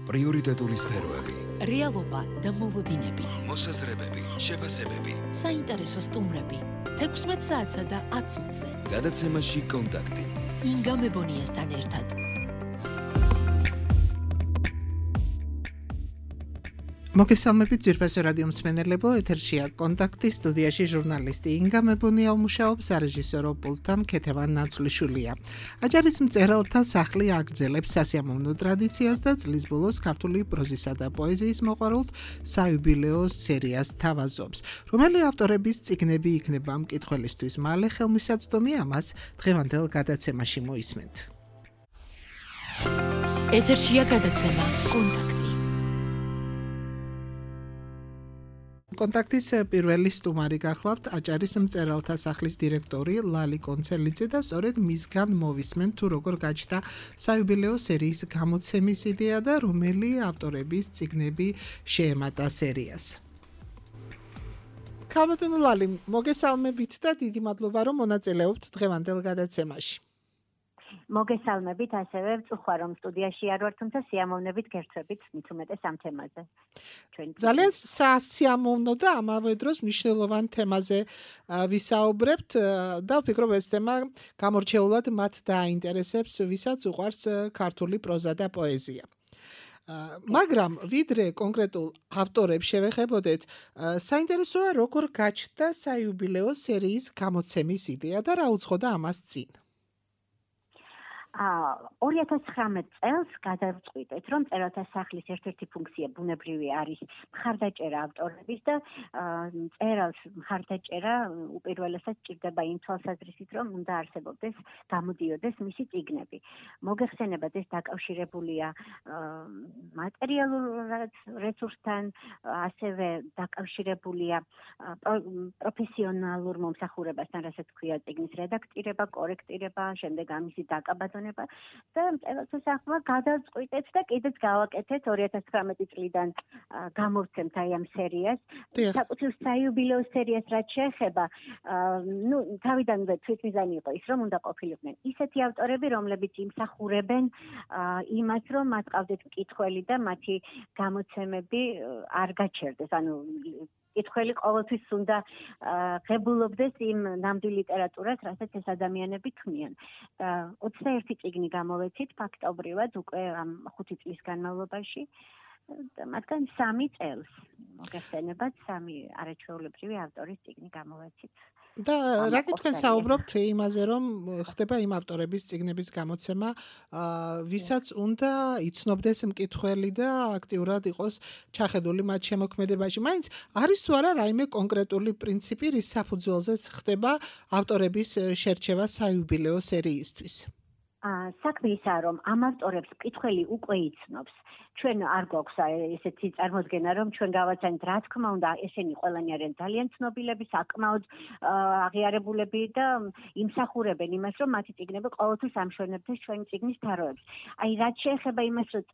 პრიორიტეტული სფეროები, რეალობა და მოლოდინები, მოსაზრებები, შეფასებები, საინტერესო სტუმრები, 16 საათსა და 10 წუთზე. გადაცემაში კონტაქტი. ინგა მებონიასთან ერთად. მოგესალმებით ძვირფასო რადიო მსმენელებო, ეთერშია კონტაქტი, სტუდიაში ჟურნალისტი ინგა მებონია მუშაობს, სარეჟისორო პულტთან ქეთევან ნაცვლიშვილია. აჯარის მწერალთა სახლი აგრძელებს სასიამოვნო ტრადიციას და წლის ბოლოს ქართული პროზისა და პოეზიის მოყვარულთ საიუბილეო სერიას თავაზობს. რომელი ავტორების წიგნები იქნება მკითხველისთვის მალე ხელმისაწვდომი, ამას დღევანდელ გადაცემაში მოისმენთ. ეთერშია გადაცემა კონტაქტი. კონტაქტის პირველი სტუმარი გახლავთ აჭარის მწერალთა სახლის დირექტორი ლალი კონცელიძე და სწორედ მისგან მოვისმენთ თუ როგორ გაჩნდა საიუბილეო სერიის გამოცემის იდეა და რომელი ავტორების წიგნები შეემატა სერიას. ქალბატონო ლალი, მოგესალმებით და დიდი მადლობა რომ მონაწილეობთ დღევანდელ გადაცემაში. მოგესალმებით, ასევე ვწუხარ რომ სტუდიაში არ ვარ, თუმცა სიამოვნებით გერთვებით მით უმეტეს ამ თემაზე. ძალიან სასიამოვნო და ამავე დროს მნიშვნელოვან თემაზე ვისაუბრებთ და ვფიქრობ ეს თემა გამორჩეულად მათ დაინტერესებს, ვისაც უყვარს ქართული პროზა და პოეზია. მაგრამ ვიდრე კონკრეტულ ავტორებს შევეხებოდეთ, საინტერესოა როგორ გაჩნდა საიუბილეო სერიის გამოცემის იდეა და რა უძღოდა ამას წინ. 2019 წელს გადავწყვიტეთ, რომ მწერალთა სახლის ერთ-ერთი ფუნქცია ბუნებრივი არის მხარდაჭერა ავტორების და მწერალს მხარდაჭერა უპირველესად ჭირდება იმ თვალსაზრისით, რომ უნდა არსებობდეს, გამოდიოდეს მისი წიგნები. მოგეხსენებათ, ეს დაკავშირებულია მატერიალურ რესურსთან, ასევე დაკავშირებულია პროფესიონალურ მომსახურებასთან, რასაც ქვია წიგნის რედაქტირება, კორექტირება, შემდეგ ამისი დაკაბატონება და მწერალთა სახლმა გადავწყვიტეთ და კიდეც გავაკეთეთ 2019 წლიდან გამოვცემთ აი ამ სერიას. საკუთრივ საიუბილეო სერიას რაც შეეხება, თავიდანვე თვითმიზანი იყო ის, რომ უნდა ყოფილიყვნენ ისეთი ავტორები, რომლებიც იმსახურებენ იმას, რომ მათ ყავდეთ მკითხველი და მათი გამოცემები არ გაჩერდეს. ანუ მკითხველი ყოველთვის უნდა ღებულობდეს იმ ნამდვილ ლიტერატურას, რასაც ეს ადამიანები ქმნიან. 21 წიგნი გამოვეცით ფაქტობრივად უკვე ამ 5 წლის განმავლობაში. მათგან 3 წელს მოგეხსენებათ 3 არაჩვეულებრივი ავტორის წიგნი გამოვეცით. და რა კითხვენ საუბრობთ იმაზე, რომ ხდება იმ ავტორების წიგნების გამოცემა, ვისაც უნდა იცნობდეს მკითხველი და აქტიურად იყოს ჩახედული მათ შემოქმედებაში. მაინც არის თუ არა რაიმე კონკრეტული პრინციპი, რის საფუძველზეც ხდება ავტორების შერჩევა საიუბილეო სერიისთვის? საქმე ისაა, რომ ამ ავტორებს მკითხველი უკვე იცნობს. ჩვენ არ გვაქვს ესეთი წარმოდგენა, რომ ჩვენ გავაცანით, რა თქმა უნდა, ესენი ყველანი არიან ძალიან ცნობილები, საკმაოდ აღიარებულები და იმსახურებენ იმას, რომ მათი წიგნები ყოველთვის ამშვენებდეს ჩვენი წიგნის თაროებს. აი, რაც შეეხება იმას, რომ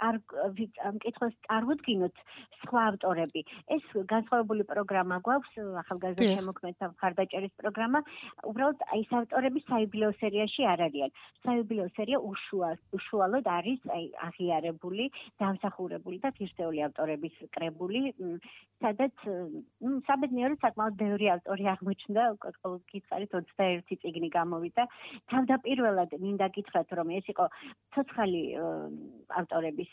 მკითხველს წარვუდგინოთ სხვა ავტორები, ეს განსხვავებული პროგრამა გვაქვს, ახალგაზრდა შემოქმედთა მხარდაჭერის პროგრამა, უბრალოდ აი ეს ავტორები საიუბილეო სერიაში არ არიან. საიუბილეო სერია უშუალოდ არის აი აღიარებული დამსახურებული და ღირსეული ავტორების კრებული, სადაც საბედნიეროდ საკმაოდ ბევრი ავტორი აღმოჩნდა, გითხარით 21 წიგნი გამოვიდა. თავდაპირველად მინდა გითხრათ, რომ ეს იყო ცოცხალი ავტორების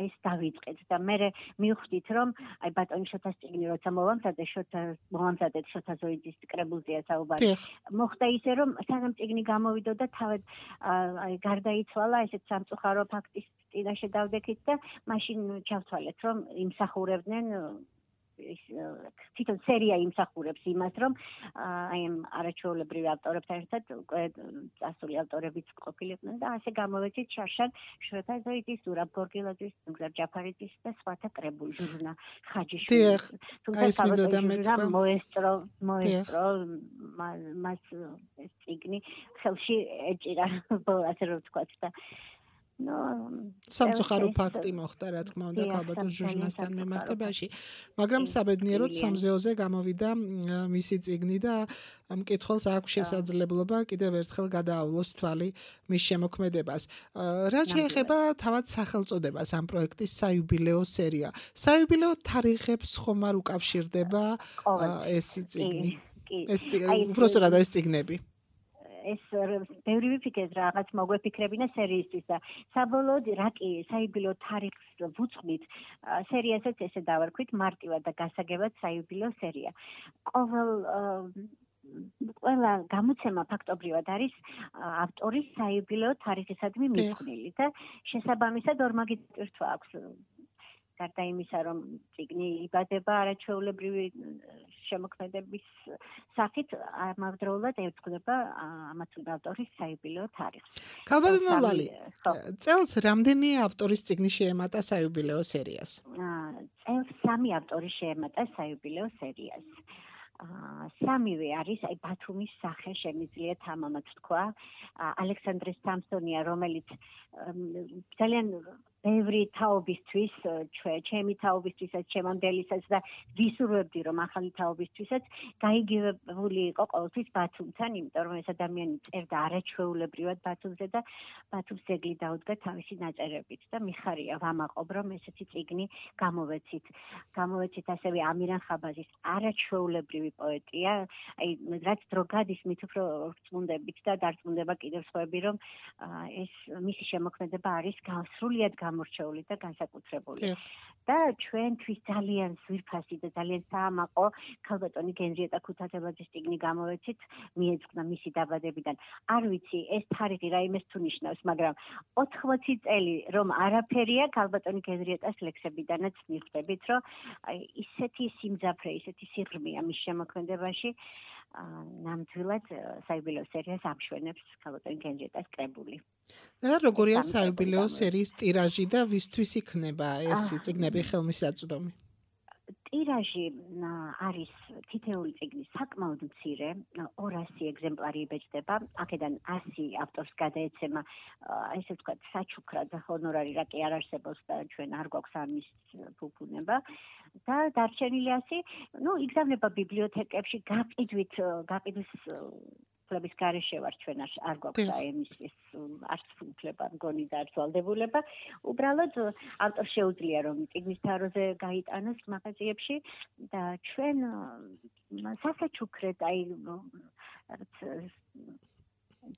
ეს დავიწყეთ და მე მივხვდით, რომ აი ბატონი შოთას წიგნი როცა მოვამზადეთ შოთა ზოიძის კრებულზეა საუბარი. მოხდა ისე, რომ სანამ წიგნი გამოვიდოდა, თავად აი გარდაიცვალა ესეთ სამწუხარო ფაქტის წინაშე დავდექით და მაშინ ჩავთვალეთ, რომ იმსახურებდნენ თვითონ სერია იმსახურებს იმას, რომ აი ამ არაჩვეულებრივ ავტორებთან ერთად უკვე წასული ავტორებიც ყოფილიყვნენ და ასე გამოვეცით შარშან შოთა ზოიძის, ზურაბ გორგილაძის, ნუგზარ ჯაფარიძის და სხვათა კრებული ჟურნა ხაჯიშვილის. თუმცა საბოლოოდ მოესწრო მას წიგნი ხელში ეჭირა, ასე რომ ვთქვათ და სამწუხარო ფაქტი მოხდა, რა თქმა უნდა, ქალბატონ ჟუჟნასთან მიმართებაში, მაგრამ საბედნიეროდ სამზეოზე გამოვიდა მისი წიგნი და მკითხველს აქვს შესაძლებლობა კიდევ ერთხელ გადაავლოს თვალი მის შემოქმედებას. რაც შეეხება თავად სახელწოდებას ამ პროექტის საიუბილეო სერია. საიუბილეო თარიღებს ხომ არ უკავშირდება ეს წიგნი? ეს უბრალოდ ეს წიგნები. ეს ბევრი ვიფიქრეთ რაღაც მოგვეფიქრებინა სერიისთვის და საბოლოოდ რა კი საიუბილეო თარიღს ვუძღვით სერიასაც ესე დავარქვით მარტივად და გასაგებად საიუბილეო სერია. ყველა გამოცემა ფაქტობრივად არის ავტორის საიუბილეო თარიღისადმი მიძღვნილი და შესაბამისად ორმაგი წირთვა აქვს. გარდა იმისა, რომ წიგნი იბადება არაჩვეულებრივი შემოქმედების სახით, ამავდროულად ეძღვნება ამათ ავტორის საიუბილეო თარიღს. ქალბატონო ლალი, წელს რამდენი ავტორის წიგნი შეემატა საიუბილეო სერიას? წელს 3 ავტორი შეემატა საიუბილეო სერიას. სამივე არის აი ბათუმის სახე შემიძლია თამამად თქვა. ალექსანდრე სამსონია, რომელიც ძალიან ბევრი თაობისთვის, ჩემი თაობისთვისაც, ჩემამდელისაც და ვისურვებდი, რომ ახალი თაობისთვისაც გაიგივებული იყო ყოველთვის ბათუმთან, იმიტომ რომ ეს ადამიანი წერდა არაჩვეულებრივად ბათუმზე და ბათუმს ძეგლი დაუდგა თავისი ნაწერებით და მიხარია ვამაყობ, რომ ესეთი წიგნი გამოვეცით. გამოვეცით ასევე ამირან ხაბაზის არაჩვეულებრივი პოეტია, აი რაც დრო გადის, მით უფრო რწმუნდებით და დარწმუნდება კიდევ სხვაები, რომ ეს მისი შემოქმედება არის სრულიად გამორჩეული და განსაკუთრებული. და ჩვენთვის ძალიან ზვირფასი და ძალიან საამაყო ქალბატონი გენრიეტა ქუთათელაძის წიგნი გამოვეცით, მიეძღვნა მისი დაბადებიდან. არ ვიცი, ეს თარიღი რაიმეს თუ ნიშნავს, მაგრამ 80 წელი რომ არაფერია ქალბატონი გენრიეტას ლექსებიდანაც მიხვდებით, რომ ისეთი სიმძაფრე, ისეთი სიღრმეა მის შემოქმედებაში, ნამდვილად საიუბილეო სერიას ამშვენებს ქალბატონი გენრიეტას კრებული. და როგორია საიუბილეო სერიის ტირაჟი და ვისთვის იქნება ეს წიგნები ხელმისაწვდომი? ტირაჟი არის თითეული წიგნის საკმაოდ მცირე, 200 ეგზემპლარი იბეჭდება, აქედან 100 ავტორს გადაეცემა, ესე ვთქვათ, საჩუქრად ჰონორარი რა კი არ არსებობს და ჩვენ არ გვაქვს ამის ფუფუნება და დარჩენილი 100, იგზავნება ბიბლიოთეკებში გაყიდვის ფლების გარეშე ვარ ჩვენ არ გვაქვს აემისის არც უფლება მგონი და არც ვალდებულება. უბრალოდ ავტორს შეუძლია რომ წიგნის თაროზე გაიტანოს მაღაზიებში და ჩვენ სასაჩუქრად აი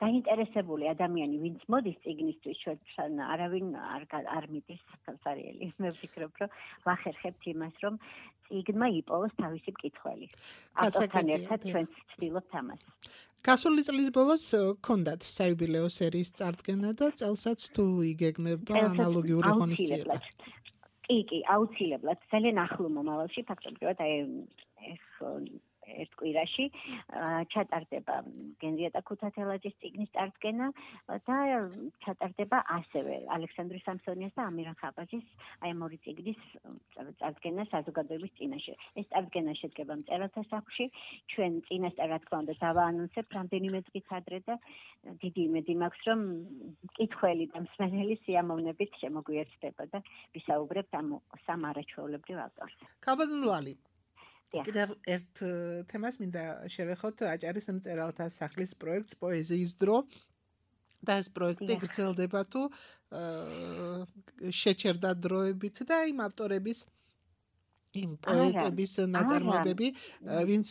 დაინტერესებული ადამიანი ვინც მოდის წიგნისთვის ჩვენ არავინ არ მიდის ხელსარიელი. მე ვფიქრობ რომ ვახერხებთ იმას რომ წიგნმა იპოვოს თავისი მკითხველი. ავტორთან ერთად ჩვენ ვცდილობთ ამას. გასული წლის ბოლოს გქონდათ საიუბილეო სერიის წარდგენა და წელსაც თუ იგეგმება ანალოგიური ღონისძიება? კი, აუცილებლად, ძალიან ახლო მომავალში, ფაქტობრივად აი ერთ კვირაში ჩატარდება გენრიეტა ქუთათელაძის წიგნის წარდგენა და ჩატარდება ასევე ალექსანდრე სამსონიას და ამირან ხაბაზის აი ამ ორი წიგნის წარდგენა საზოგადოების წინაშე. ეს წარდგენა შედგება მწერალთა სახლში, ჩვენ წინასწარ რა თქმა უნდა დავაანონსებთ რამდენიმე დღის ადრე და დიდი იმედი მაქვს რომ მკითხველი და მსმენელი სიამოვნებით შემოგვიერთდება და ვისაუბრებთ ამ სამ არაჩვეულებრივ ავტორს. ქალბატონო ლალი, კიდევ ერთ თემას მინდა შევეხოთ აჭარის მწერალთა სახლის პროექტს პოეზიის დრო და ეს პროექტი გრძელდება თუ შეჩერდა დროებით და იმ ავტორების იმ პოეტების ნაწარმოებები ვინც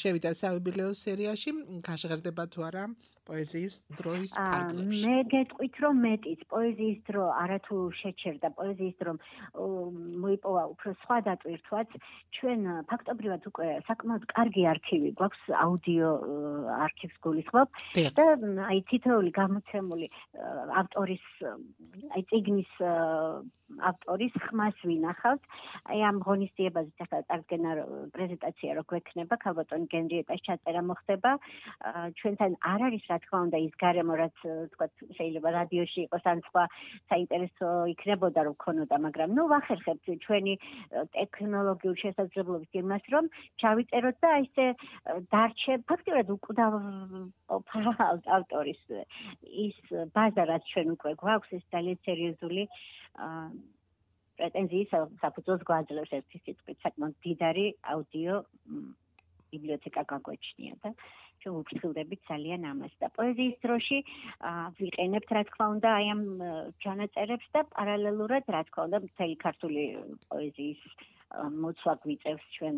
შევიდა საიუბილეო სერიაში გაშღერდება თუ არა პოეზიის დროის ფარგლებში. მე გეტყვით რომ მეტიც პოეზიის დრო არათუ შეჩერდა პოეზიის დრო მოიპოვა უფრო სხვა დატვირთვაც ჩვენ ფაქტობრივად უკვე საკმაოდ კარგი არქივი გვაქვს აუდიო არქივს გულისხმობ და აი თითოეული გამოცემული ავტორის აი წიგნის ავტორის ხმას ვინახავთ აი ამ ღონისძიებაზე ახლა წარდგენა პრეზენტაცია რო გვექნება ქალბატონი გენრიეტას ჩაწერა მოხდება ჩვენთან არ არის რა თქმა უნდა ის გარემო რაც თქვა შეიძლება რადიოში იყოს ან სხვა საინტერესო იქნებოდა რომ ქონოდა მაგრამ ვახერხებთ ჩვენი ტექნოლოგიურ შესაძლებლობებს იმას რომ ჩავიწეროთ და ისე დარჩე ფაქტიურად უკვდავ ავტორის ის ბაზა რაც ჩვენ უკვე გვაქვს ეს ძალიან სერიოზული პრეტენზიის საფუძველს გვაძლევს ერთი სიტყვით საკმაოდ დიდარი აუდიო ბიბლიოთეკა გაგვაჩნია და ჩვენ ვფრთხილდებით ძალიან ამას და პოეზიის დროში ვიყენებთ რა თქმა უნდა აი ამ ჩანაწერებს და პარალელურად რა თქმა უნდა მთელი ქართული პოეზიის მოცვა გვიწევს ჩვენ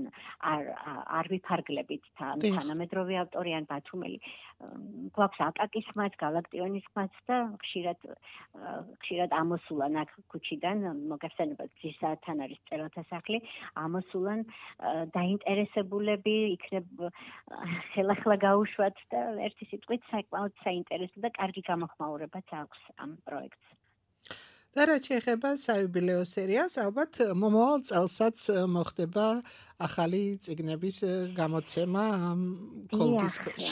არ ვიფარგლებით თანამედროვე ავტორი ან ბათუმელი გვაქვს აკაკის ხმაც, გალაქტიონის ხმაც და ხშირად ამოსულან აქ ქუჩიდან მოგახსენებათ ძირსაათთან არის მწერალთა სახლი ამოსულან დაინტერესებულები იქნებ ხელახლა გაუშვათ და ერთი სიტყვით საკმაოდ საინტერესო და კარგი გამოხმაურებაც აქვს ამ პროექტს. და რაც შეეხება საიუბილეო სერიას, ალბათ მომავალ წელსაც მოხდება ახალი წიგნების გამოცემა კოლგის ქვეშ.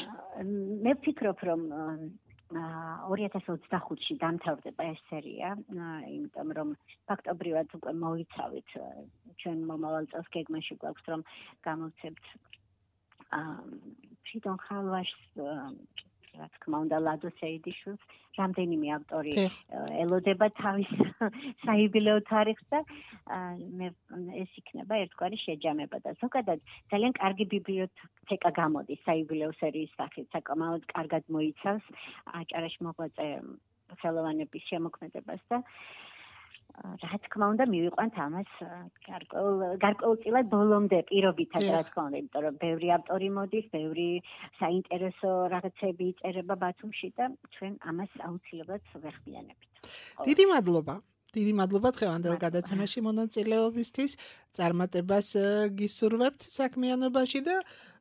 მე ვფიქრობ, რომ 2025-ში დამთავრდება ეს სერია, იმიტომ რომ ფაქტობრივად უკვე მოიცავით ჩვენ მომავალ წელს გეგმაში გვაქვს რომ გამოვცემთ ფრიდონ ხალვაშს რა თქმა უნდა ლადო სეიდიშვილს რამდენიმე ავტორი ელოდება თავის საიუბილეო თარიღს და ეს იქნება ერთგვარი შეჯამება და ზოგადად ძალიან კარგი ბიბლიოთეკა გამოდის საიუბილეო სერიის სახით საკმაოდ კარგად მოიცავს აჭარაში მოღვაწე ხელოვანების შემოქმედებას და რა თქმა უნდა მივიყვანთ ამას გარკვეულწილად ბოლომდე პირობითად რა თქმა უნდა იმიტომ რომ ბევრი ავტორი მოდის ბევრი საინტერესო რაღაცები იწერება ბათუმში და ჩვენ ამას აუცილებლად ვეხმიანებით. დიდი მადლობა დღევანდელ გადაცემაში მონაწილეობისთვის წარმატებას გისურვებთ საქმიანობაში და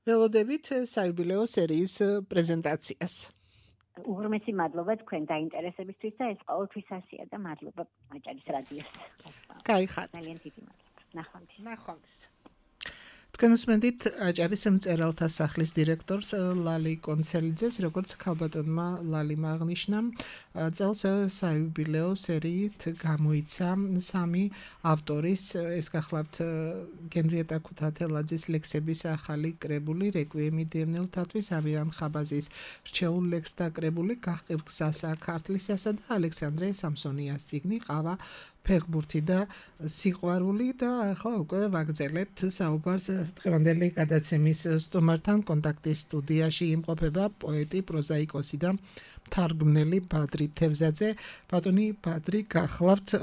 ველოდებით საიუბილეო სერიის პრეზენტაციას. უღრმესი მადლობა თქვენ დაინტერესებისთვის და ეს ყოველთვის ასია და მადლობა აჭარის რადიოს. გაიხარეთ. ძალიან დიდი მადლობა. ნახვამდის. თქვენ უსმენთ აჭარის მწერალთა სახლის დირექტორს ლალი კონცელიძეს, როგორც ქალბატონმა ლალიმ აღნიშნა, წელს საიუბილეო სერიით გამოიცა 3 ავტორის, ეს გახლავთ გენრიეტა ქუთათელაძის ლექსების ახალი კრებული, რეკვიემი დევნილთათვის, ამირან ხაბაზის რჩეულ ლექსთა კრებული, გაჰყივ გზასა ქართლისასა და ალექსანდრე სამსონიას წიგნი ყავა ფეხბურთი და სიყვარული და ახლა უკვე ვაგრძელებთ საუბარს დღევანდელი გადაცემის სტუმართან კონტაქტის სტუდიაში იმყოფება პოეტი, პროზაიკოსი და მთარგმნელი ბადრი თევზაძე. ბატონი ბადრი, გახლავთ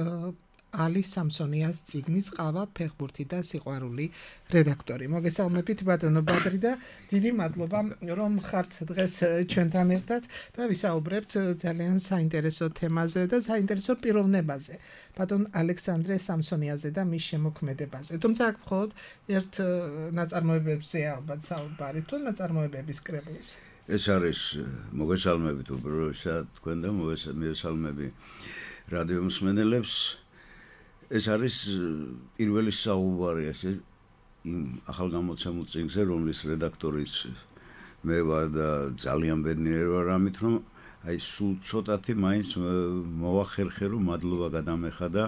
ალი სამსონიას წიგნის ყავა ფეხბურთი და სიყვარული რედაქტორი. მოგესალმებით ბატონო ბადრი და დიდი მადლობა რომ ხართ დღეს ჩვენთან ერთად და ვისაუბრებთ ძალიან საინტერესო თემაზე და საინტერესო პიროვნებაზე. ბატონ ალექსანდრე სამსონიაზე და მის შემოქმედებაზე. თუმცა აქ მხოლოდ ერთ ნაწარმოებებზე ალბათ საუბარი თუ ნაწარმოებების კრებულს. ეს არის მოგესალმებით უბრალოდ თქვენ და მოგესალმები რადიო მსმენელებს. ეს არის პირველი საუბარი ესე იმ ახალგამოცემულ წიგნზე, რომლის რედაქტორიც მე ვარ და ძალიან ბედნიერი ვარ ამით, რომ აი სულ ცოტათი მაინც მოვახერხე, რომ მადლობა გადამეხადა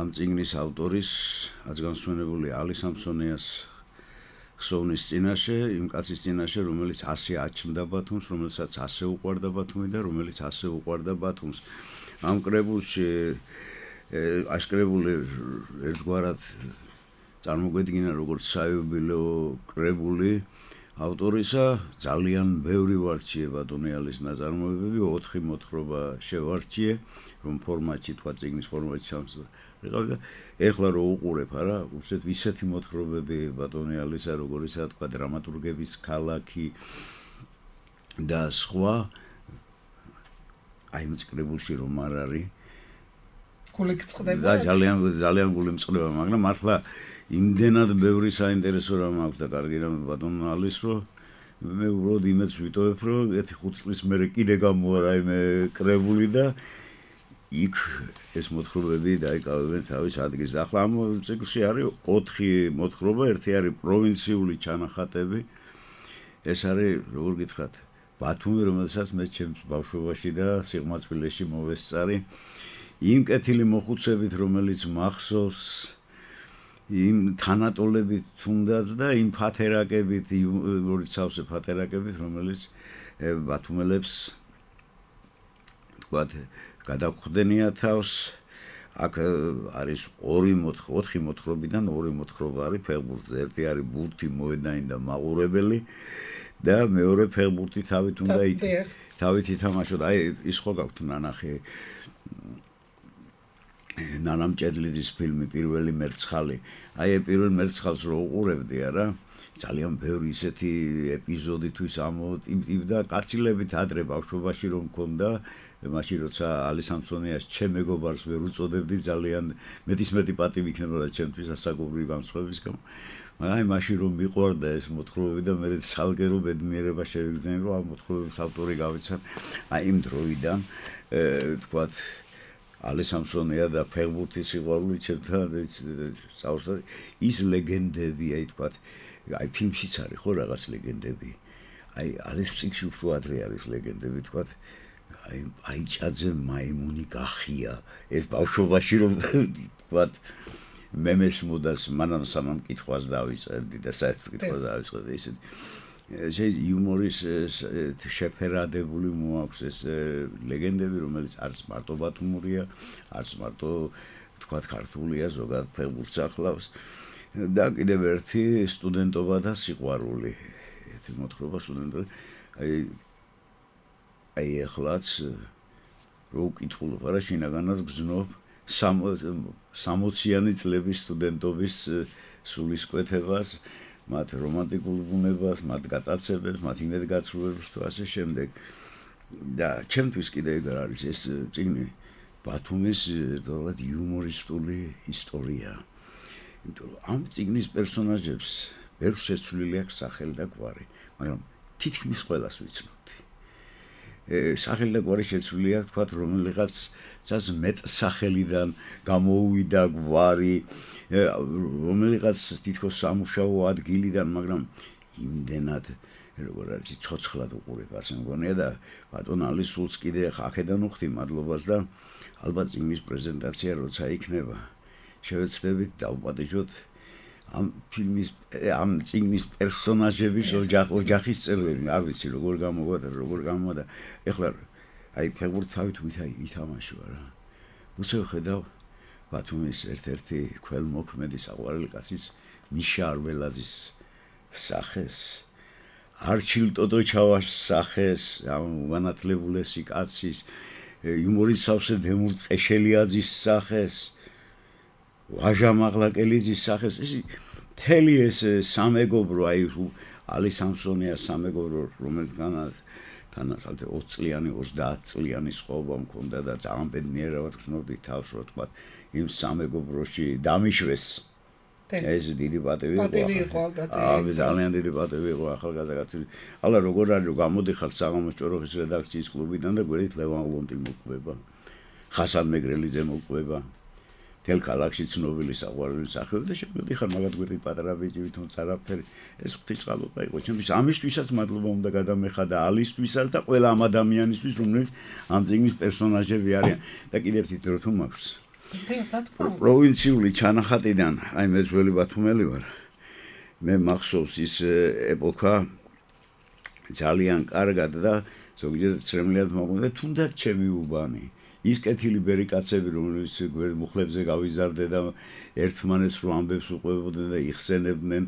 ამ წიგნის ავტორის, აზგანსვენებული ალი სამსონიას ხსოვნის წინაშე, იმ კაცის წინაშე, რომელიც ასე აჩნდა ბათუმს, რომელსაც ასე უყვარდა ბათუმი და რომელიც ასე უყვარდა ბათუმს. ამ კრებულში აშკრებული ერთგვარად წარმოგვედგინა როგორც საიუბილეო კრებული ავტორისა ძალიან ბევრი ვარჩიე ბატონი ალის ნაწარმოებები 4 მოთხრობა შევარჩიე რომ ფორმატში თქვა წიგნის ფორმატში სამსა ეხლა რო უყურებ არა უსეთ ისეთი მოთხრობები ბატონი ალისა როგორიცაა თქვა დრამატურგების ქალაქი და სხვა აი მწკრებულში რომ არ არის და ძალიან გული მწყდება, მაგრამ მართლა იმდენად ბევრი საინტერესო რამ აქვს და კარგი რამ ბატონ ალის რომ მე უბრალოდ იმედს ვიტოვებ რომ 5 წლის მერე კიდე გამოვა მე კრებული და იქ ეს მოთხრობები დაიკავებენ თავის ადგილს. ახლა ამ ციკლში არის 4 მოთხრობა, ერთი არის პროვინციული ჩანახატები. ეს არის როგორ გითხრათ ბათუმი, რომელსაც მე ჩემს ბავშვობაში და სიღმაწვილეში მოვესწარი, იმ კეთილი მოხუცებით, რომელიც მახსოვს, იმ თანატოლებით თუნდაც და იმ ფათერაკებით, ორი სავსე ფათერაკებით, რომელიც ბათუმელებს თქვათ გადახვდენია თავს. აქ არის 4 მოთხრობიდან 2 მოთხრობა არის ფეხბურთზე. ერთი არის ბურთი, მოედანი და მაყურებელი და მეორე ფეხბურთი თავით ითამაშოთ. აი ის ხო გაქვთ ნანახი ნანამ ჭედლიძის ფილმი პირველი მერცხალი. აი პირველ მერცხალს რო უყურებდი არა, ძალიან ბევრი ისეთი ეპიზოდითვის ამოტივდა კაცილებით ადრე ბავშვობაში რომ მქონდა. მაშინ როცა ალი სამსონიას ჩემ მეგობარს ვერ უწოდებდი, ძალიან მეტი პატივი იქნებოდა ჩემთვის ასაკობრივი განსხვავების გამო. მაგრამ აი მაშინ რომ მიყვარდა ეს მოთხრობები და მე სალგერო ბედნიერება შევიგრძნები, რომ ამ მოთხრობების ავტორი გავიცან. აი იმ დროიდან თქვათ ალი სამსონია და ფეხბურთის სიყვარული ჩემთან სწავლობდა. ის ლეგენდები, აი თქვათ, აი ფილმშიც არის ხო რაღაც ლეგენდები. აი ალის წიგნში უფრო ადრე არის ლეგენდები, თქვათ აი ჭაძე მაიმუნი გახია. ეს ბავშვობაში რომ თქვათ მემეს მოდას მანამ სანამ კითხვას დავიწყებდი და საერთოდ კითხვას დავიწყებდი ისე იუმორის შეფერადებული მოაქვს ეს ლეგენდები, რომელიც არც მარტო ბათუმურია, არც მარტო თქვათ ქართულია, ზოგადად ფეხბურთს ახლავს და კიდევ ერთი სტუდენტობა და სიყვარული. ერთი მოთხრობა სტუდენტობა. აი ახლაც რო ვკითხულობ, არა შინაგანად გრძნობ 60-იანი წლების სტუდენტობის სულისკვეთებას, მათ რომანტიკულ ბუნებას, მათ გატაცებებს, მათ იმედგაცრუებებს თუ ასე შემდეგ. და ჩემთვის კიდე ეგ არის ეს წიგნი ბათუმის თორად იუმორისტული ისტორია. იმიტომ რომ ამ წიგნის პერსონაჟებს ვერ შეცვლილი აქვს სახელი და გვარი, მაგრამ თითქმის ყველას ვიცნობდი. სახელი და გვარი შეცვლილი აქვს, თქვათ, რომელიღაც ძას მეტ სახელიდან გამოუვიდა გვარი, რომელიღაც თითქოს სამუშაო ადგილიდან, მაგრამ იმდენად როგორ არის ცოცხლად უყურებ, ასე მგონია და ბატონ ალის სულს კიდე აქედან უხდი მადლობას და ალბათ წიგნის პრეზენტაცია როცა იქნება, შევეცდებით დავპატიჟოთ ამ ფილმის ამ წიგნის პერსონაჟების ოჯახის წევრები, არ ვიცი როგორ გამოვა. ეხლა აი ფეხბურთს თავით ვითამაშო რა. უცებ ხედავ ბათუმის ერთ-ერთი ქველმოქმედი საყვარელი კაცის მიშა არველაძის სახეს, არჩილ ტოტოჩავას სახეს, ამ განათლებულესი კაცის, იუმორის სავსე დემურ ყეშელიაძის სახეს, ვაჟა მაღლაკელიძის სახეს, ეს მთელი ეს სამეგობრო, აი ალი სამსონიას სამეგობრო, რომელთანაც 20 წლიანი, 30 წლიანი სხვაობა მქონდა და ძალიან ბედნიერად გრძნობდი თავს, რომ თქვა იმ სამეგობროში დამიშვეს. ეს დიდი პატივი იყო. ძალიან დიდი პატივი იყო ახალგაზრდა კაცი. ალა როგორ არის რომ გამოდიხარ საღამოს ჭოროხის რედაქციის კლუბიდან და გვერდით ლევან ლონტი მოყვება. ხასან მეგრელიძე მოყვება. თელ ქალაქში ცნობილი საყვარელი სახელი და შემოდიხარ მაგათ გვერდით პატარა ბიჭი თუმცა არაფერი. ეს ღვთისმშობლობა იყო ჩემთვის. ამისთვისაც მადლობა უნდა გადამეხადა ალისთვისაც და ყველა ამ ადამიანისთვის, რომლებიც ამ წიგნის პერსონაჟები არიან. და კიდევ ერთი დრო თუ მაქვს. პროვინციული ჩანახატიდან, აი მე ძველი ბათუმელი ვარ. მე მახსოვს ის ეპოქა ძალიან კარგად და ზოგიერთ ცრემლად მოგვიდა თუნდაც ჩემი უბანი. ის კეთილი ბერიკაცები, რომლებიც მუხლებზე გავიზარდე და ერთმანეთს რო ამბებს უყვებოდნენ და იხსენებდნენ,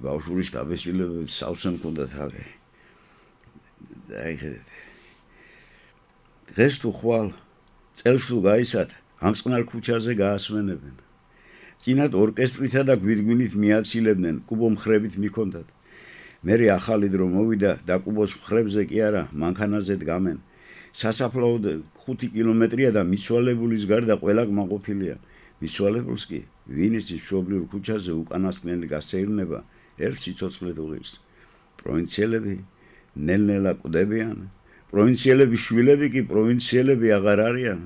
ბავშვური შტაბეშილები სავსე მქონდა თავი. აი ხედეთ. დღეს თუ ხვალ წელს თუ გაისათ, ამ წყნარ ქუჩაზე გაასვენებენ. წინათ ორკესტრითა და გვირგვინით მიაცილებდნენ, კუბო მხრებით მიქონდათ. მერე ახალი დრო მოვიდა და კუბოს მხრებზე კი არა, მანქანაზე დგამენ. სასაფლაოდ 5 კილომეტრია და მიცვალებულის გარდა ყველა კმაყოფილია. მიცვალებულს კი ვინის მშობლიურ ქუჩაზე უკანასკნელი გასეირნება ერთ სიცოცხლე დუღის. პროვინციელები ნელ-ნელა კვდებიან. პროვინციელების შვილები კი პროვინციელები აღარ არიან.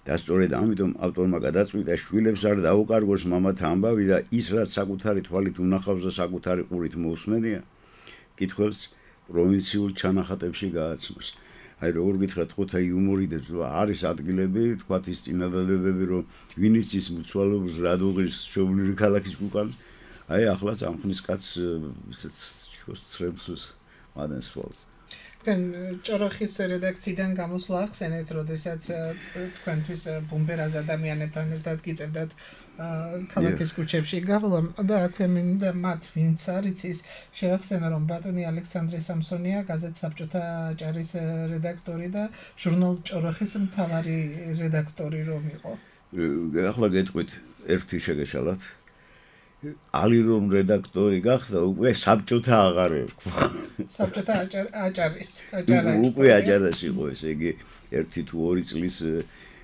და სწორედ ამიტომ ავტორმა გადაწყვიტა შვილებს არ დაუკარგოს მამათა ამბავი და ის რაც საკუთარი თვალით უნახავს და საკუთარი ყურით მოусმენია, კითხვებს პროვინციულ ჩანახატებში გააცნობს. აი როგორ გითხრათ, ხოთა იუმორი და არის ადგილები, თქვათ ის წინადადებები, რომ ვინიც ის მუცვალობს რადოღის შობლიური ქალაქის უკან, აი ახლა წამხნის კაცს ისეთ ცრემლს მადენს სვალს. თქვენ ჭოროხის რედაქციიდან გამოსვლა ახსენეთ, როდესაც თქვენთვის ბუმბერას ადამიანებთან ერთად გიწევდათ ქალაქის ქუჩებში გავლა და აქვე მინდა მათ ვინც არის ის შევახსენო, რომ ბატონი ალექსანდრე სამსონია გაზეთ საბჭოთა აჭარის რედაქტორი და ჟურნალ ჭოროხის მთავარი რედაქტორი რომ იყო. ახლა გეტყვით ერთი შეგეშალათ. ალი რომ რედაქტორი გახდა, უკვე საბჭოთა აღარ ერქვა. საბჭოთა აჭარის უკვე აჭარას იყო, ესე იგი 1 თუ 2 წლის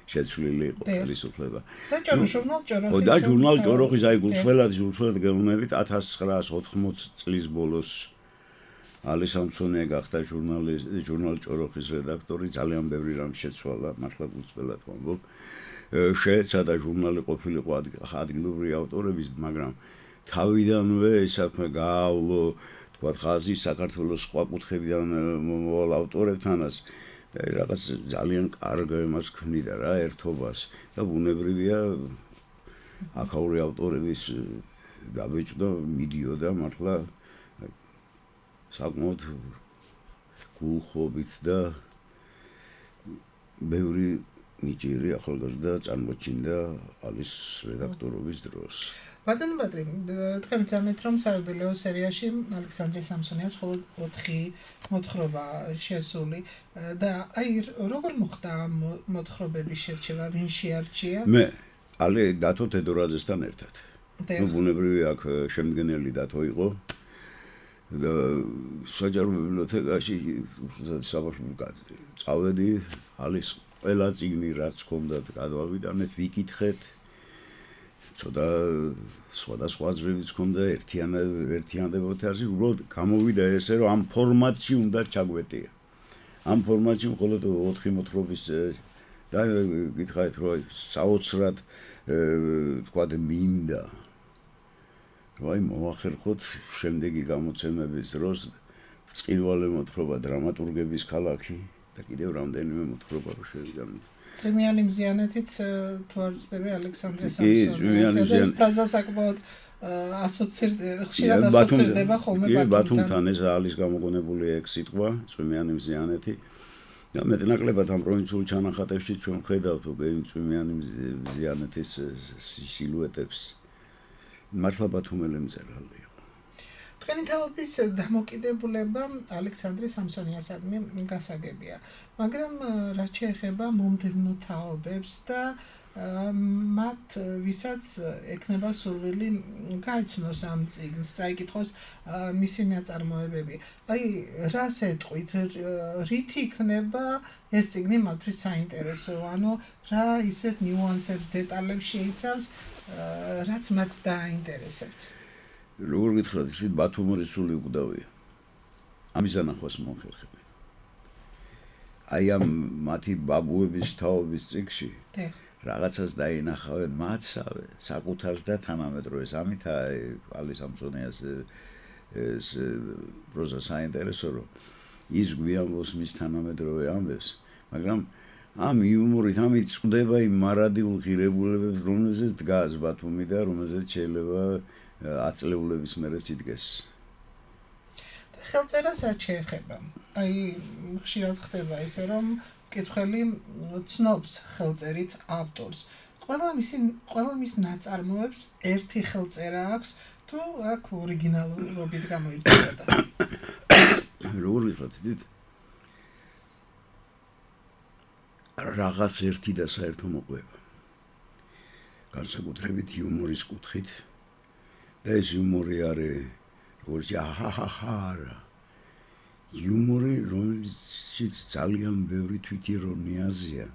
შეცვლილი იყო ხელისუფლება. და ჟურნალ ჭოროხის აი გულწრფელად გეუბნებით 1980 წლის ბოლოს ალი სამსონია გახდა ჟურნალ ჭოროხის რედაქტორი, ძალიან ბევრი რამ შეცვალა, მართლა გულწრფელად ვამბობ. შეეცადა ჟურნალი ყოფილიყო ადგილობრივი ავტორების, მაგრამ თავიდანვე საქმე გაავლო, თქვა ხაზი საქართველოს სხვა კუთხებიდან მომავალ ავტორებთანაც რაღაც ძალიან კარგ იმას ქმნიდა რა, ერთობას და ბუნებრივია აქაური ავტორების გაბეჭდა, მიდიოდა მართლა საკმაოდ გულხობით და ბევრი ნიჭიერი ახალგაზრდა წარმოჩინდა ალის რედაქტორობის დროს. ბატონო ბატრი, თქვენ ძანეთ რომ საიუბილეო სერიაში ალექსანდრე სამსონიას მხოლოდ 4 მოთხრობა შესული და აი როგორ მოხდა მოთხრობების შერჩევა, ვინ შეარჩია? მე ალი დათო თედორაძესთან ერთად. ნუ ბუნებრივი აქ შემდგენელი დათო იყო და საჯარო ბიბლიოთეკაში საბავშვო წავედი ალის ყველა წიგნი რაც ჰქონდათ გადავავიდანეთ, ვიკითხეთ. ცოტა სხვადასხვა აზრებიც ჰქონდა ერთიანდებოთი არის, უბრალოდ გამოვიდა ესე, რომ ამ ფორმატში უნდა ჩაგვეტია. ამ ფორმატში მხოლოდ 4 მოთხრობის და გითხარით, რომ საოცრად თქვათ მინდა. ვაი მოახერხოთ შემდეგი გამოცემების დროს წყილვალე მოთხრობა დრამატურგების ქალაქი და კიდევ რამდენიმე მოთხრობა რო შევიგანოთ. წვიმიანი მზიანეთიც თუ არ ვცდები ალექსანდრე სამსონიას ეს ფრაზა საკმაოდ ხშირად ასოცირდება ხოლმე ბათუმთან. ეს არის გამოგონებული ეგ სიტყვა წვიმიანი მზიანეთი და მეტნაკლებად ამ პროვინციულ ჩანახატებში ჩვენ ხედავთ უკვე წვიმიანი მზიანეთის სილუეტებს. მართლა ბათუმელი მწერალი იყო. თქვენი თაობის დამოკიდებულება ალექსანდრე სამსონიასადმი გასაგებია, მაგრამ რაც შეეხება მომდევნო თაობებს და მათ ვისაც ექნება სურვილი გაიცნოს ამ წიგნს, წაიკითხოს მისი ნაწარმოებები. აი, რას ეტყვით, რით იქნება ეს წიგნი მათთვის საინტერესო, ანუ რა ისეთ ნიუანსებს, დეტალებს შეიცავს, რაც მათ დააინტერესებთ. როგორ გითხრათ, ისეთ ბათუმური სული უკვდავია. ამის ანახვას მომხერხები. აი ამ მათი ბაბუების თაობის წიგნში რაღაცას დაინახავენ მათსავე, საკუთარს და თანამედროვეს. ამითაა ალი სამსონიას ეს პროზა საინტერესო, რომ ის გვიამბობს მის თანამედროვე ამბებს, მაგრამ ამ იუმორით ამით წვდება იმ მარადიულ ღირებულებებს, რომელზეც დგას ბათუმი და რომელზეც შეიძლება 10 წლეულების მერეც იდგეს. ხელწერას არ შეეხება. აი, ხშირად ხდება ისე, რომ მკითხველი ცნობს ხელწერით ავტორს. ყველა მის ნაწარმოებს ერთი ხელწერა აქვს, თუ აქ ორიგინალურობით გამოირჩევა. როგორ ვიხოთ, იცით? რაღაც ერთი და საერთო მოყვება. განსაკუთრებით იუმორის კუთხით და ეს იუმორი არის როგორც აჰაჰაჰა. იუმორი, რომელშიც ძალიან ბევრი თვითირონიაზია.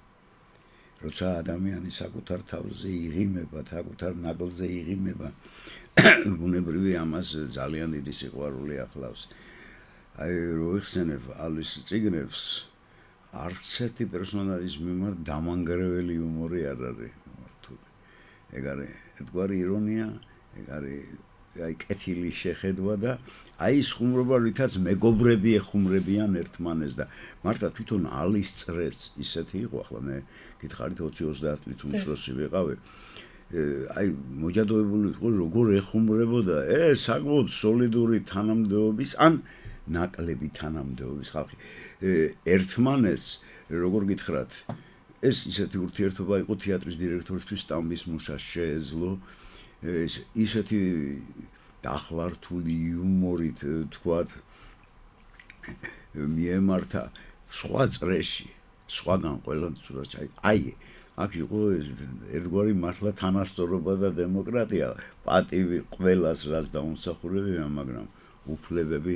როცა ადამიანი საკუთარ თავზე იღიმება, საკუთარ ნაკლზე იღიმება, ბუნებრივი ამას ძალიან დიდი სიყვარული ახლავს. აი, რო იხსენებ ალის წიგნებს, არც ერთი პერსონაჟის მიმართ დამანგრეველი იუმორი არ არის მართული. ეგ არის ერთგვარი ირონია, ეგ არის აი კეთილი შეხედვა და აი ის ხუმრობა რითაც მეგობრები ეხუმრებიან ერთმანეს და მართლა თვითონ ალის წრეც ისეთი იყო ახლა მე გითხარით 20-30 წლის უმცროსი ვიყავი აი მოჯადოებული იყო როგორ ეხუმრებოდა ეს საკმაოდ სოლიდური თანამდებობის ან ნაკლები თანამდებობის ხალხი ერთმანეს როგორ გითხრათ ეს ისეთი ურთიერთობა იყო თეატრის დირექტორისთვის სტამბის მუშას შეეძლო ისეთი დახლართული იუმორით თქვათ მიემართა სხვა წრეში სხვაგან ყველანაირად აი აქ იყო ერთგვარი მართლა თანასწორობა და დემოკრატია პატივი ყველას რაც დაუმსახურებია მაგრამ უფლებები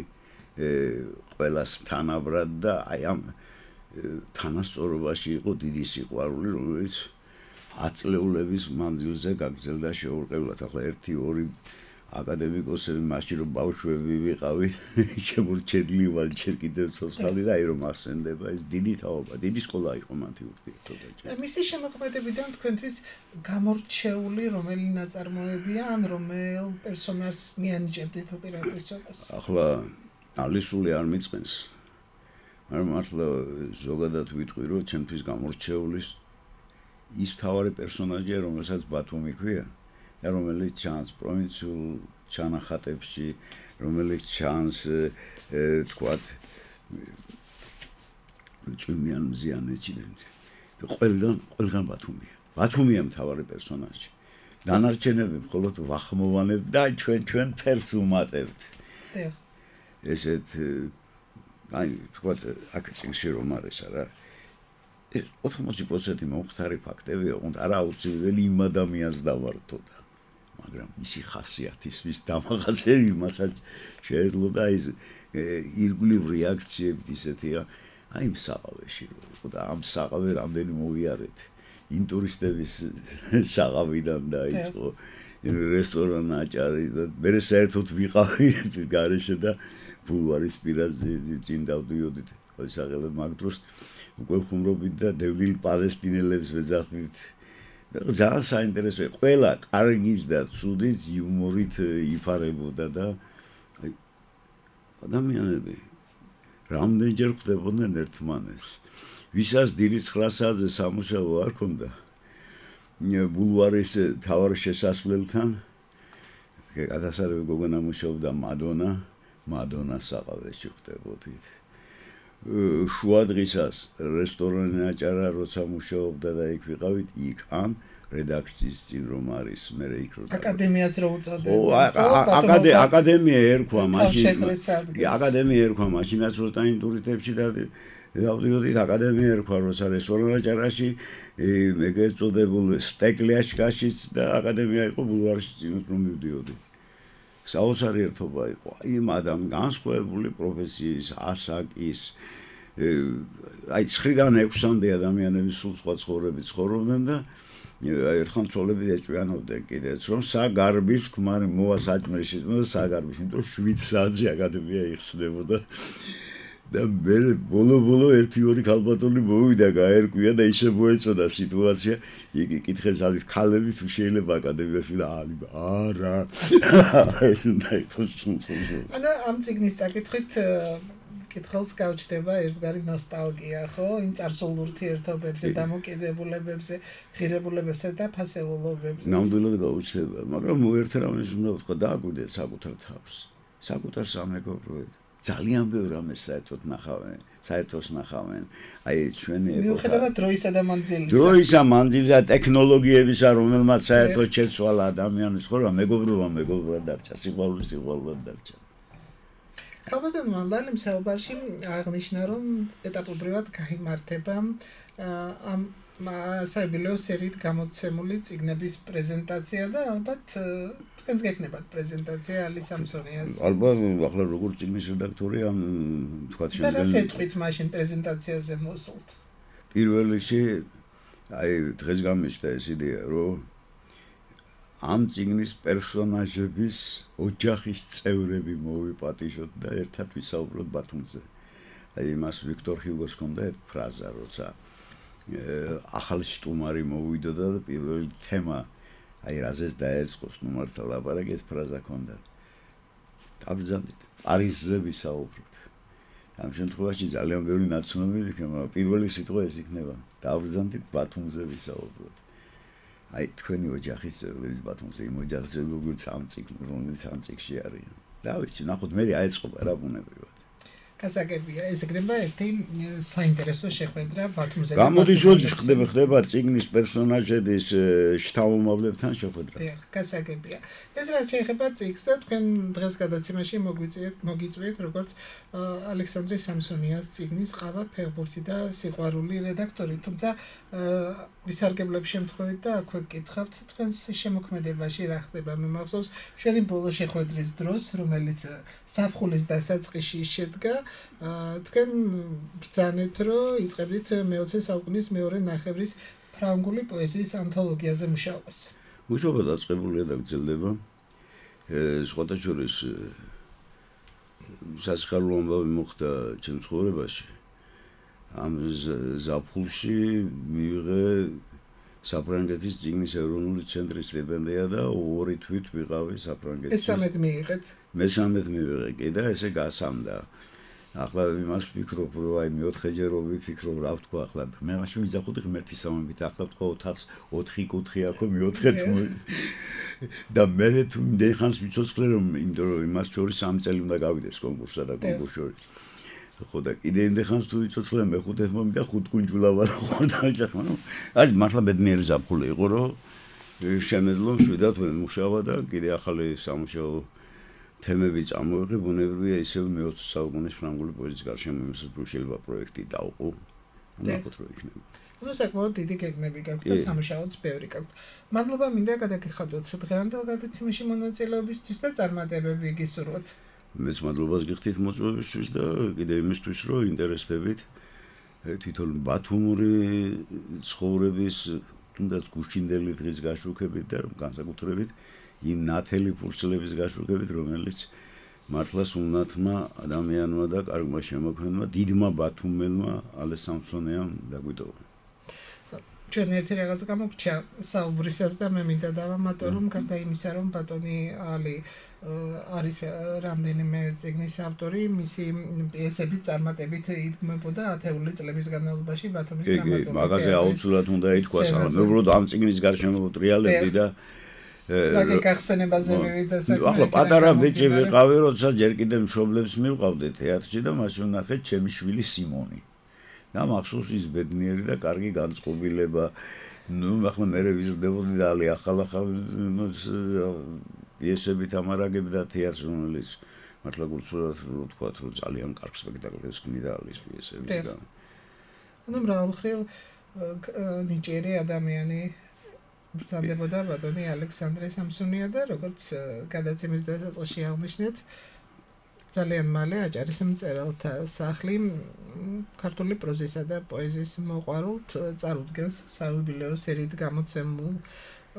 ყველას თანაბრად და აი ამ თანასწორობაში იყო დიდი სიყვარული რომელიც 10 წლეულების მანძილზე გაგრძელდა შეურყევლად ახლა 1-2 აკადემიკოსები მაშინ რომ ბავშვები ვიყავით შემორჩენილი ვარ ჯერ კიდევ ცოცხალი და აი რომ ასენდება ეს დიდი თაობა დიდი სკოლა იყო მათი ურთიერთობა მისი შემოქმედებიდან თქვენთვის გამორჩეული რომელი ნაწარმოებია ან რომელ პერსონაჟს მიანიჭებდით უპირატესობას ახლა ალისული არ მიწყენს მაგრამ მართლა ზოგადად ვიტყვი რომ ჩემთვის გამორჩეულის ის თავარი პერსონაჟია რომელსაც ბათუმი ქვია და რომელიც ჩანს პროვინციულ ჩანახატებში რომელიც ჩანს თქვათ ჭუმიან მზიანეთიდან ყველგან ბათუმია მთავარი პერსონაჟი დანარჩენები მხოლოდ ვახმოვანებთ და ჩვენ ფერს უმატებთ ესეთ აი თქვათ აქ წინში რომ არის არა 80% მომხდარი ფაქტებია უნდა არა აუცილებელი იმ ადამიანს დავართოთ მაგრამ მისი ხასიათისთვის დამახასე იმასაც შეეძლო და ის ირგვლივ რეაქციები ისეთია აი იმ საყავეში რომ და ამ საყავე რამდენი მოვიარეთ ინტურისტების საყავიდან დაიწყო რესტორან აჭარი და მე საერთოდ ვიყავი გარეშე და ბულვარის პირაზე წინ დავდიოდით ყოველსაღელად მაგ დროს უკვე ხუმრობით და დევნილ პალესტინელებს ვეძახდით ძალიან საინტერესო ყველა კარგის და ცუდის იუმორით იფარებოდა და ადამიანები რამდენჯერ ხვდებოდნენ ერთმანეს ვისაც დილის 9 საათზე სამუშაო არ ქონდა ბულვარის თავარ შესასვლელთან გადასარევი გოგონა მუშაობდა მადონა საყავეში ხვდებოდით შუადღისას რესტორანი აჭარა როცა მუშაობდა და იქ ვიყავით იქ ან რედაქციის წინ რომ არის მე იქ რო აკადემიას რო უწოდე აკადემია ერქვა მაშინაც რო სტაინტურიტებში და დავდიოდით აკადემია ერქვა როცა რესტორანი აჭარაში მეგეწოდებულ სტეკლიაშკაშიც და აკადემია იყო ბულვარში წინ რომ მივდიოდი საოცარი ერთობა იყო იმ ადამიან განსხვავებული პროფესიის ასაკის აი 9-დან 6-მდე ადამიანები სულ სხვა ცხოვრებით ცხოვრობდნენ და ერთხელ ცოლები ეჭვიანობდნენ კიდეც რომ საგარბის ქმარი მოვა საჭმელში და საგარბის იმიტომ 7 საათზე აკადემია იხსნებოდა და მე ბოლო 1-2 ქალბატონი მოვიდა გაერკვია და ისე მოეწოდა სიტუაცია იგი კითხეს არის ქალები თუ შეიძლება აკადემიაში და არა ეს უნდა იყოს ანუ ამ ციგნის საკითხით კითხელს გავჩდება ერთგვარი ნოსტალგია ხო იმ წარსულ ურთიერთობებზე დამოკიდებულებებზე ღირებულებებზე და ფასეულობებზე ნამდვილად გავჩდება მაგრამ ერთ რამეს უნდა ვთქვა დააკვირდეთ საკუთარ თავს საკუთარ სამეგობროებს ძალიან ბევრ ამას საერთოდ ნახავენ აი ჩვენი მიუხედავად დროისა მანძილისა ტექნოლოგიებისა რომელმაც საერთოდ შეცვალა ადამიანის ცხოვრება მეგობრობა დარჩა სიყვარული დარჩა ქალბატონმა ლალემ საუბარში აღნიშნა რომ ეტაპობრივად გაიმართება ამ საიუბილეო სერიით გამოცემული წიგნების პრეზენტაცია და ალბათ თქვენს გექნებათ პრეზენტაცია ალი სამსონიას. ალბათ ახლა როგორც წიგნის რედაქტორი ამ თქვათ და რა სეტყვით მაშინ პრეზენტაციაზე მოსულთ? პირველ რიგში აი დღეს გამიშთა ეს იდეა რომ ამ წიგნის პერსონაჟების ოჯახის წევრები მოვიპატიჟოთ და ერთად ვისაუბროთ ბათუმზე. აი მას ვიქტორ ჰიუგოს ჰქონდა ერთ ფრაზა როცა ახალი სტუმარი მოვიდოდა და პირველი თემა აი რაზეც დაეწყოს ნუ მართლა ლაპარაკი ეს ფრაზა ქონდა. დავბრძანდით. პარიზზე ვისაუბროთ. ამ შემთხვევაში ძალიან ბევრი ნაცნობი იქნება, პირველი სიტყვა ეს იქნება. დავბრძანდით ბათუმზე ვისაუბროთ. აი თქვენი ოჯახის წევრების ბათუმზე იმ ოჯახზე როგორც ამ წიგნში არიან. რა ვიცი, ნახოთ მე აეწყობა რა ბუნებრივად. გასაგებია, ეს იქნება ერთი საინტერესო შეხვედრა ბათუმზე. გამოდის როდის ხდება წიგნის პერსონაჟების შთამომავლებთან შეხვედრა. დიახ, გასაგებია. ეს რაც შეეხება წიგნს და თქვენ დღეს გადაცემაში მოგიწვიეთ როგორც ალექსანდრე სამსონიას წიგნის ყავა ფეხბურთი და სიყვარული რედაქტორი, თუმცა ვისარგებლებ შემთხვევით და აქვე გკითხავთ თქვენს შემოქმედებაში რა ხდება. მე მახსოვს შენი ბოლო შეხვედრის დროს, რომელიც საფხულის დასაწყისში შედგა, თქვენ ბრძანეთ, რომ იწყებდით მე-20 საუკუნის მეორე ნახევრის ფრანგული პოეზიის ანთოლოგიაზე მუშაობას. მუშაობა დაწყებულია და გრძელდება. სხვათა შორის სასიხარულო ამბავი მოხდა ჩემ ცხოვრებაში. ამ ზაფხულში მივიღე საფრანგეთის წიგნის ეროვნული ცენტრის სტიპენდია და 2 თვით ვიყავი საფრანგეთში. ეს 13 მიიღეთ? მე 13 მივიღე კი და ესე გასამდა. ახლა იმას ვფიქრობ, რომ აი მეოთხეჯერ რო ვიფიქრო, რა ვთქვა ახლა. მე მაშინ ვიძახოდი ღმერთის სამებით, ახლა ვთქვა ოთახს 4 კუთხე აქვს, მეოთხე თუ და მე თუ იმდენხანს ვიცოცხლე რომ იმიტომ რომ იმას შორის 3 წელი უნდა გავიდეს კონკურსსა და კონკურს შორის. ხო და კიდე იმდენხანს თუ ვიცოცხლე მე-5 მომიდა 5 კუნჯულა ვარ ხარ და ახლა ნუ აი მართლა ბედნიერი ზაფხული იყო რომ შემეძლო შვიდად ვემუშავა და კიდე ახალი სამუშაო თემები წამოვიღე, ბუნებრივია ისევ მე-20 საუკუნის ფრანგული პოეზიის გარშემო შესაძლებლობა პროექტი დავყო. ნახოთ რა იქნება. ნუ საკმაოდ დიდი გეგმები გაქვთ და სამუშაოც ბევრი გაქვთ. მადლობა მინდა გადაგიხადოთ დღევანდელ გადაცემაში მონაწილეობისთვის და წარმატებები გისურვოთ. მეც მადლობას გიხდით მოწვევისთვის და კიდე იმისთვის რომ ინტერესდებით თვითონ ბათუმური ცხოვრების თუნდაც გუშინდელი დღის გაშუქებით და განსაკუთრებით იმ ნათელი ფურცლების გაშუქებით, რომელიც მართლა სულნათმა ადამიანმა და კარგმა შემოქმედმა, დიდმა ბათუმელმა ალე სამსონიამ დაგვიტოვა. ჩვენ ერთი რაღაც გამოგჩა საუბრისას და მე მინდა დავამატო, რომ გარდა იმისა, რომ ბატონი ალი არის რამდენიმე წიგნის ავტორი, მისი პიესები წარმატებით იდგმებოდა ათეული წლების განმავლობაში ბათუმის დრამატული თეატრის. მაგაზე აუცილებლად უნდა ითქვას, მაგრამ მე უბრალოდ ამ წიგნის გარშემო ტრიალებდი და მაგე გახსენებაზე მივიდა საქმე. ახლა პატარა ბიჭი ვიყავი, როცა ჯერ კიდე მშობლებს მივყავდე თეატრში და მაშინ ნახე ჩემი შვილი სიმონი. და მახსოვს ის ბედნიერი და კარგი განწყობილება. ნუ ახლა მე ვიზრდებოდი და ალი ახალ პიესებით ამარაგები და თეატრს რომელიც მართლა გულწრფელად რო თქვა, რომ ძალიან კარგ სპექტაკლებს ქმნიდა ალის პიესები და ანუ მრავალმხრივ ნიჭიერი ადამიანი ბრძანდებოდა ბატონი ალექსანდრე სამსონია და როგორც გადაცემის დასაწყისში აღნიშნეთ, ძალიან მალე აჭარის მწერალთა სახლი ქართული პროზისა და პოეზიის მოყვარულთ წარუდგენს საიუბილეო სერიით გამოცემულ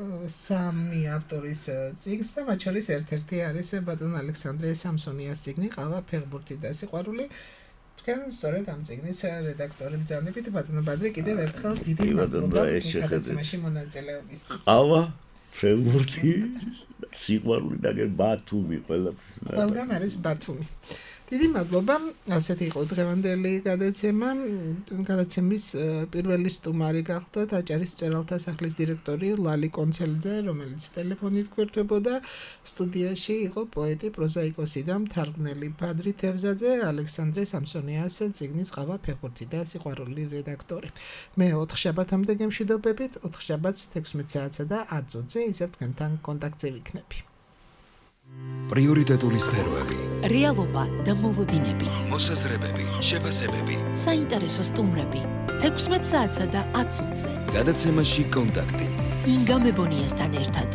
3 ავტორის წიგნს და მათ შორის ერთ-ერთი არის ბატონ ალექსანდრე სამსონიას წიგნი ყავა ფეხბურთი და სიყვარული. თქვენ სწორედ ამ წიგნის რედაქტორი ბრძანებით ბატონო ბადრი კიდევ ერთხელ დიდი მადლობა გადაცემაში მონაწილეობისთვის. ყავა ფეხბურთი სიყვარული და ბათუმი ყველგან არის ბათუმი. დიდი მადლობა. ასეთი იყო დღევანდელი გადაცემა. გადაცემის პირველი სტუმარი გახლდათ აჭარის მწერალთა სახლის დირექტორი ლალი კონცელიძე, რომელიც ტელეფონით გვერდებოდა. სტუდიაში იყო პოეტი, პროზაიკოსი და მთარგმნელი ბადრი თევზაძე, ალექსანდრე სამსონიას წიგნის ყავა ფეხბურთი და სიყვარული რედაქტორი. მე 4 შაბათამდე გემშვიდობებით, 4 შაბათს 16 საათსა და 10 წუთზე ისევ თქვენთან კონტაქტზე ვიქნები. პრიორიტეტული სფეროები, რეალობა და მოლოდინები, მოსაზრებები, შეფასებები, საინტერესო სტუმრები 16 საათსა და 10 წუთზე. გადაცემაში კონტაქტი. ინგა მებონიასთან ერთად.